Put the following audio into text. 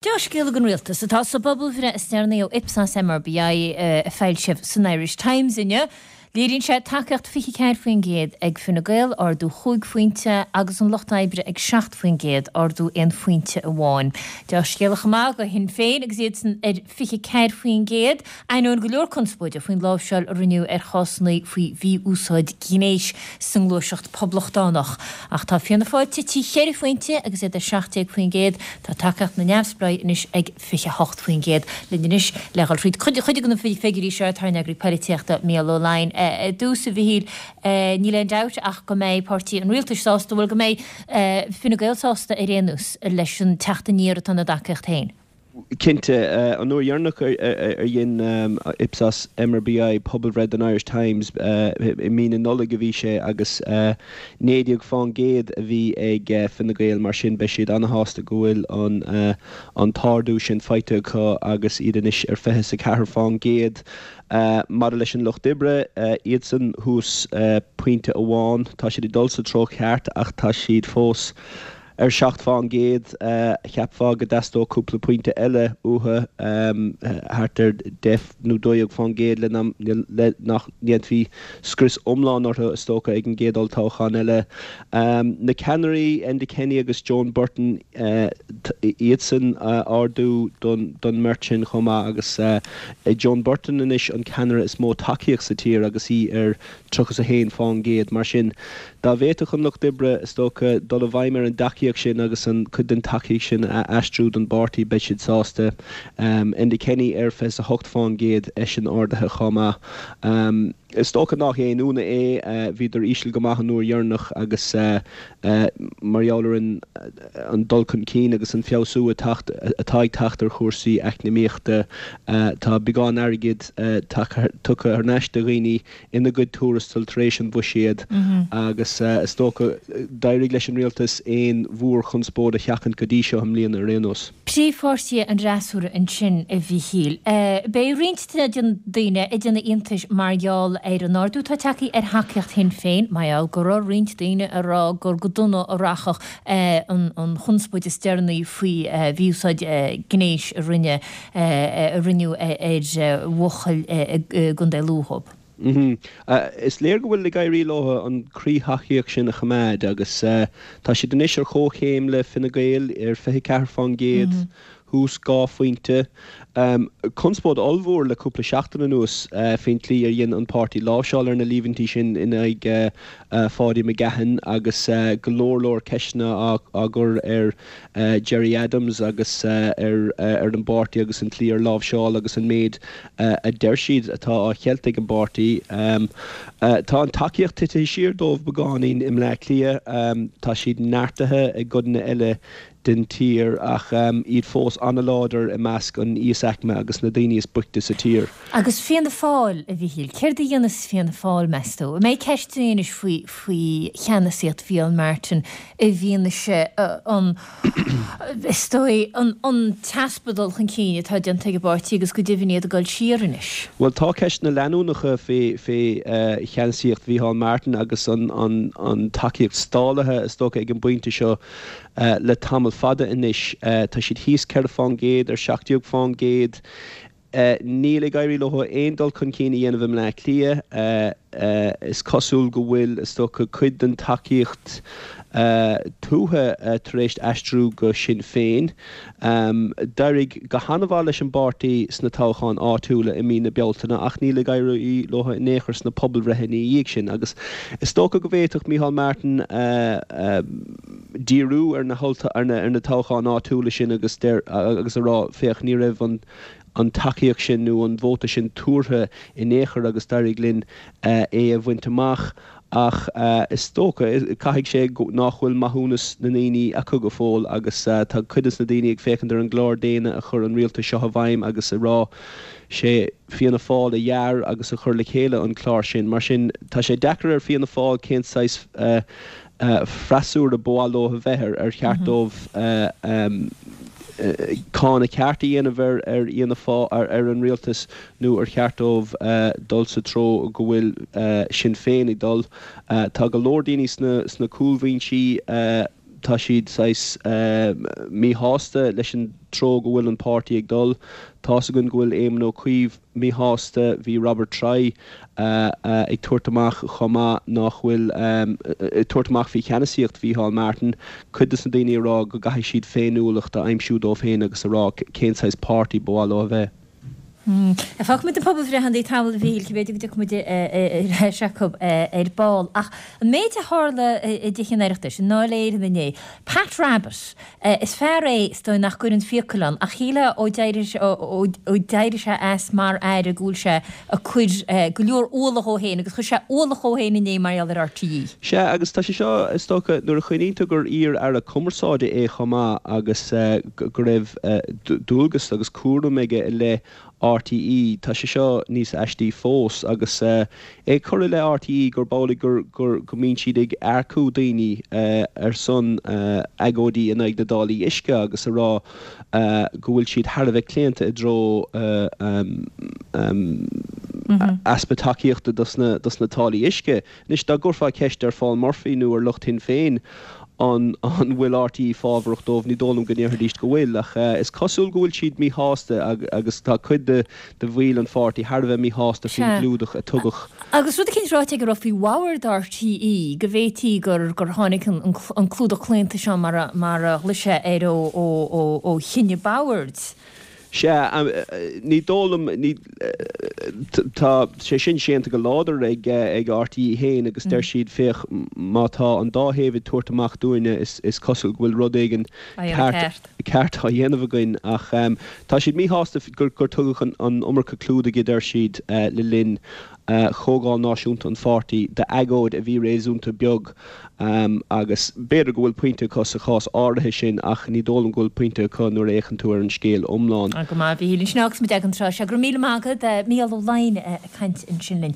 Dea-scéala don rialtas atá sa bpobalbhreith is deireanaí ó Ipsos MRBI a foilsíodh san Irish Times inniu. Léiríonn sé tacaíocht 24% ag Fine Gael, ardú chúig phointe, agus an Lucht Oibre ag 7%, ardú aon phointe amháin. Dea-scéala chomh maith do Shinn Féin agus iadsan ar 24%, ainneoin go leor conspóide faoin láimhseáil a rinneadh ar chásanna faoi mhí-úsáid gnéis sa ngluaiseacht Poblachtánach. Ach tá Fianna Fáil tite cheithre phointe agus iad ar 17%. Tá tacaíocht na neamhspleách anois ag 28%. Linn anois le dhul thríd cuid de na figiúirí seo tá ár n-eagraí polaitíochta Mícheál Ó Laighin. I dtús, a Mhichíl, níl aon dabht ach go mbeidh páirtí an rialtais sásta, bhuel go mbeidh Fine Gael sásta ar aon nós leis an teacht aniar atá ina dtacaíocht féin. Cinnte. An uair dheireanach ar dhein Ipsos MRBI pobalbhreith don Irish Times, i mí na Nollag a bhí sé agus 19% a bhí ag Fine Gael. Mar sin, beidh siad ana-shásta go bhfuil an t-ardú sin faighte acu agus iad anois ar 24%. Maidir leis an Lucht Oibre, iadsan thuas pointe amháin. Tá siad ag dul sa treo ceart ach tá siad fós Ar 7%, cheapfá go dteastódh cúpla pointe eile uathu, thart ar 10 nó 12% le nach ndéanfaí scrios iomlán orthu, is dócha, ag an gcéad olltoghchán eile. Na ceannairí, Enda Kenny agus Joan Burton, iadsan, ardú don mbeirt sin chomh maith agus Joan Burton anois an ceannaire is mó tacaíocht sa tír agus í ar 31%. Mar sin, dá bhféadfadh an Lucht Oibre, is dócha, dul i bhfeidhm ar an dtacaíocht sin agus an cuid den tacaíocht sin a aistriú don bpáirtí, beidh siad sásta. Enda Kenny ar 28%, eisean ardaithe chomh maith. Is dócha nach aon ionadh é, bhíodar íseal go maith an uair dheireanach agus mar gheall ar an dul chun cinn agus an feabhsú atá ag teacht ar chúrsaí eacnamaíochta, tá beagán airgid tugtha thar n-ais do dhaoine ina gcuid tuarastal tar éis an bhuiséad agus is dócha d'éirigh leis an rialtas aon mhórchonspóid a sheachaint go dtí seo i mbliana ar aon nós. Príomhpháirtithe an fhreasúra ansin, a Mhichíl. Beidh roinnt de na daoine ag déanamh iontais mar gheall ar an ardú atá tagtha ar thacaíocht Shinn Féin, mar gheall go raibh roinnt daoine ag rá gur go dona a rachadh an chonspóid is deireanaí faoi mhí-úsáid gnéis a rinne a rinneadh ar bhuachaill i gContae Lú dhóibh. Is léir go bhfuil ag éirí leo an croí-thacaíocht sin a choimeád agus tá siad anois ar chomhchéim le Fine Gael ar 24%, thuas 2 phointe. Conspóid ollmhór le cúpla seachtain anuas faoin tslí ar dhein an páirtí láimhseáil ar na líomhaintí sin in aghaidh Pháidí McGahan agus go leor leor ceisteanna á gcur ar Gerry Adams agus ar an bpáirtí agus an tslí ar láimhseáil agus an méid a deir siad atá á cheilt ag an bpáirtí. Tá an tacaíocht titithe siar dóibh beagáinín i mBleá Cliath. Tá siad neartaithe i gcodanna eile den tír ach iad fós an-láidir i measc an íosaicme agus na daoine is boichte sa tír. Agus Fianna Fáil, a Mhichíl, céard a dhéanfas Fianna Fáil, meas tú? An mbeidh ceisteanna anois faoi faoi cheannasaíocht Mhicheál Martin i bhfianaise an, is dóigh, an t-easpa dul chun cinn atá déanta ag an bpáirtí agus go deimhin iad ag dul siar anois. Bhuel, tá ceisteanna leanúnacha fé cheannasaíocht Mhicheál Martin agus an tacaíocht stálaithe, is dócha, ag an bpointe seo le tamall fada anois. Tá siad thíos 4 fán gcéad ar 17 fán gcéad. Níl ag éirí leo aon dul chun cinn a dhéanamh i mBleá Cliath. Is cosúil go bhfuil, is dócha, cuid den tacaíocht tuaithe tar éis aistriú go Sinn Féin. D'éirigh go han-mhaith leis an bpáirtí sna toghcháin áitiúla i mí na Bealtaine ach níl ag éirí leo in aon chor sna pobalbhreitheanna ina dhiaidh sin agus is dócha go bhféadfadh Micheál Martin díriú ar na toghcháin áitiúla sin agus a rá, féach, ní raibh an an tacaíocht sin nó an vóta sin tuartha in aon chor agus d'éirigh linn é a bhaint amach ach is dócha, caithfidh sé nách bhfuil maithiúnas na ndaoine acu go fóill agus tá cuid des na daoine ag féachaint ar an gclár déine a chuir an rialtas seo i bhfeidhm agus ag rá sé Fianna Fáil a dhear agus a chuir le chéile an clár sin. Mar sin tá sé deacair ar Fianna Fáil cén saghas freasúra ba mhaith leo a bheith, ar cheart dóibh cáineadh ceart a dhéanamh ar Fhianna Fáil, ar an rialtas nó ar cheart dóibh dul sa treo go bhfuil Sinn Féin ag dul. Tá go leor daoine sna cúlbhinsí, tá siad saghas míshásta leis an. treo go bhfuil an páirtí ag dul. Tá's againn go bhfuil Éamon Ó Cuív míshásta, bhí Robert Troy ag tabhairt amach chomh maith nach bhfuil, ag tabhairt amach faoi cheannasaíocht Mhícheál Martin, cuid de na daoine ag rá go gcaithfidh siad féiniúlacht a aimsiú dóibh féin agus a rá cén saghas páirtí ba mhaith leo a bheith. Fágfaimid na pobalbhreitheanna tamall, a Mhíchíl, b'fhéidir go dtiocfaidh muid ar ais acu ar ball. Ach an méid a tharla i dTithe an Oireachtais, i nDáil Éireann inné, Pat Rabbitte, is fear é is dóigh nach gcuireann fiacail ann, ach shílfeá ó d'éirigh sé as mar aire go bhfuil sé ag cur go leor ualach dhó féin agus chuir sé ualach dhó féin inné mar gheall ar RTÉ. Sea, agus tá sé seo, is dócha, nuair a chuimhníonn tú gur iar-aire cumarsáide é chomh maith agus go raibh dualgas agus cúram aige i leith RTÉ, tá sé seo níos aistí fós. Agus é ag cur i leith RTÉ gurb amhlaidh gur, gur, go mbíonn siad ag earcú daoine ar son agóidí in aghaidh na dtáillí uisce agus a rá go bhfuil siad thar a bheith claonta i dtreo easpa tacaíochta dos na táillí uisce. Anois, dá gcuirfeá ceist ar Phaul Murphy nó ar lucht Shinn Féin an bhfuil RTÉ fábharach dóibh, ní dóigh liom go ndéarfaidís go bhfuil. Ach is cosúil go bhfuil siad míshásta agus tá cuid de bhaill an pháirtí thar a bheith míshásta faoin gclúdach a tugadh. Agus rud eicínt ráite aige a raibh faoi bhord RTÉ, go bhféadfaí gur gur tháinig an clúdach claonta seo mar a mar a ghlaoigh sé air ó ó ó ó chinneadh boird. Sea, ní dóigh liom, ní, tá sé sin séanta go láidir ag ag RTÉ féin agus deir siad, féach, má tá an dá thaobh ag tabhairt amach dúinne is is cosúil go bhfuil rud éigin ceart ceart á dhéanamh againn ach tá siad míshásta gur gur tugadh an an iomarca clúdaigh a deir siad le linn Chomhdháil Náisiúnta an pháirtí d'agóid a bhí réasúnta beag agus b'fhéidir go bhfuil pointe acu sa chás áirithe sin ach ní dóigh liom go bhfuil pointe acu nuair a fhéachann tú ar an scéal iomlán. Go maith, a Mhíchíl. Ansin fágfaimid ag an tráth seo. Go raibh míle maith agat, Mícheál Ó Laighin ag caint ansin linn.